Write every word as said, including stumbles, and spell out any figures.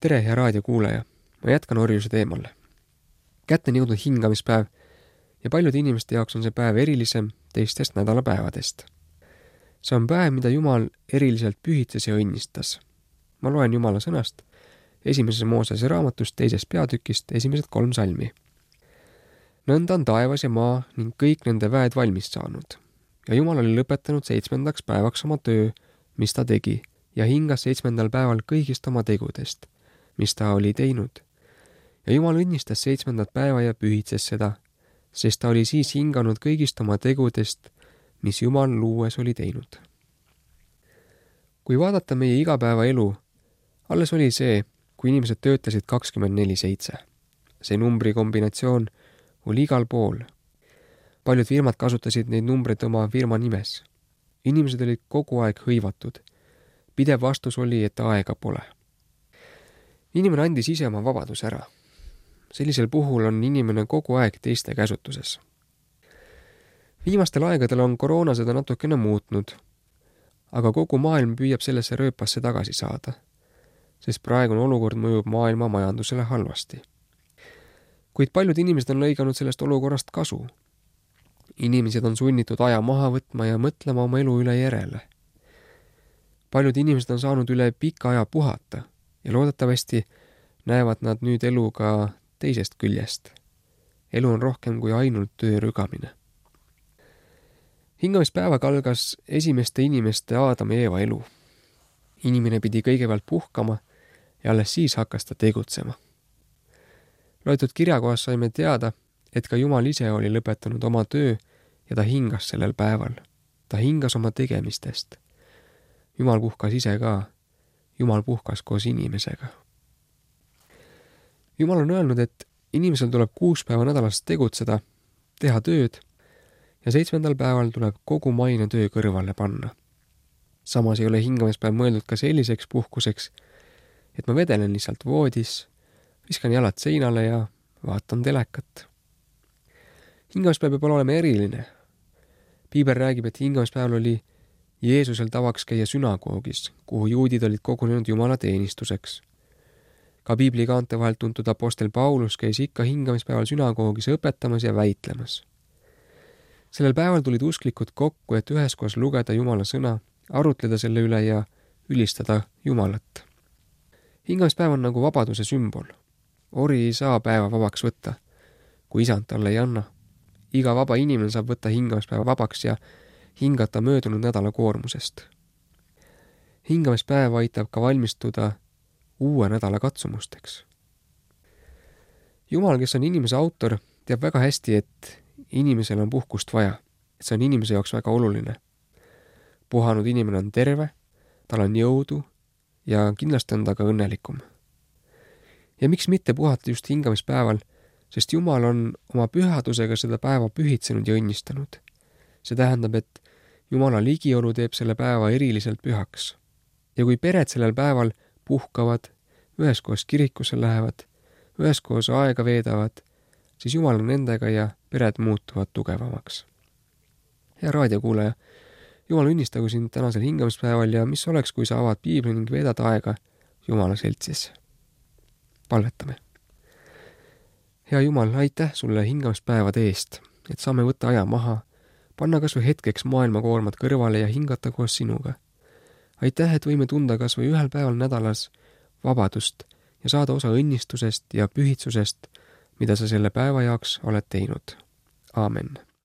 tere, hea raadiokuulaja! Ma jätkan orjuse teemal. Kätte on jõudnud hingamispäev ja paljude inimeste jaoks on see päev erilisem teistest nädalapäevadest. See on päev, mida Jumal eriliselt pühitses ja õnnistas. Ma loen Jumala sõnast esimeses Moosese raamatust teisest peatükist esimesed kolm salmi. Nõnda on taevas ja maa ning kõik nende väed valmis saanud. Ja Jumal oli lõpetanud seitsmendaks päevaks oma töö, mis ta tegi, ja hingas seitsmendal päeval kõigist oma tegudest, mis ta oli teinud. Ja Jumal õnnistas seitsmendat päeva ja pühitses seda, sest ta oli siis hinganud kõigist oma tegudest, mis Jumal luues oli teinud. Kui vaadata meie igapäeva elu, alles oli see, kui inimesed töötasid kakskümmend neli seitse. See numbri kombinatsioon oli igal pool. Paljud firmad kasutasid neid numbreid oma firma nimes. Inimesed olid kogu aeg hõivatud. Pidev vastus oli, et aega pole. Inimene andis ise oma vabadus ära. Sellisel puhul on inimene kogu aeg teiste käsutuses. Viimastel aegadel on koroona seda natukene muutnud, aga kogu maailm püüab sellesse rööpasse tagasi saada, sest praegune olukord mõjub maailma majandusele halvasti. Kuid paljud inimesed on lõiganud sellest olukorrast kasu. Inimesed on sunnitud aja maha võtma ja mõtlema oma elu üle järele. Paljud inimesed on saanud üle pika aja puhata ja loodetavasti näevad nad nüüd elu ka teisest küljest. Elu on rohkem kui ainult töö rügamine. Hingamispäevaga algas esimeste inimeste Aadam ja Eeva elu. Inimene pidi kõigepealt puhkama ja alles siis hakkas ta tegutsema. Loetud kirjakohas saime teada, et ka Jumal ise oli lõpetanud oma töö ja ta hingas sellel päeval. Ta hingas oma tegemistest. Jumal puhkas ise ka. Jumal puhkas koos inimesega. Jumal on öelnud, et inimesel tuleb kuus päeva nädalas tegutseda, teha tööd ja seitsmendal päeval tuleb kogu maine töö kõrvale panna. Samas ei ole hingamispäev mõeldud ka selliseks puhkuseks, et ma vedelen lihtsalt voodis, viskan jalad seinale ja vaatan telekat. Hingamispäev peab olema eriline. Piibel räägib, et hingamispäeval oli Jeesusel tavaks käia sünagoogis, kuhu juudid olid kogunenud Jumala teenistuseks. Ka piibli kaante vahelt tuntud apostel Paulus käis ikka hingamispäeval sünagoogis õpetamas ja väitlemas. Sellel päeval tulid usklikud kokku, et üheskoos lugeda Jumala sõna, arutleda selle üle ja ülistada Jumalat. Hingamispäev on nagu vabaduse sümbol. Ori ei saa päeva vabaks võtta, kui isand talle ei anna. Iga vaba inimene saab võtta hingamispäeva vabaks ja hingata möödunud nädala koormusest. Hingamispäev aitab ka valmistuda uue nädala katsumusteks. Jumal, kes on inimese autor, teab väga hästi, et inimesel on puhkust vaja, et see on inimese jaoks väga oluline. Puhanud inimene on terve, tal on jõudu ja kindlasti on ta ka õnnelikum. Ja miks mitte puhata just hingamispäeval, sest Jumal on oma pühadusega seda päeva pühitsenud ja õnnistanud. See tähendab, et Jumala ligiolu teeb selle päeva eriliselt pühaks. Ja kui pered sellel päeval puhkavad, üheskoos kirikusse lähevad, üheskoos aega veedavad, siis Jumal on nendega ja pered muutuvad tugevamaks. Hea raadiokuulaja, Jumal õnnistagu sind tänasel hingamispäeval ja mis oleks, kui sa avad piibli ning veedad aega Jumala seltsis. Palvetame. Hea Jumal, aitäh sulle hingamispäevade eest, et saame võtta aja maha, panna kas või hetkeks maailmakoormad kõrvale ja hingata koos sinuga. Aitäh, et võime tunda kas või ühel päeval nädalas vabadust ja saada osa õnnistusest ja pühitsusest, mida sa selle päeva jaoks oled teinud. Aamen.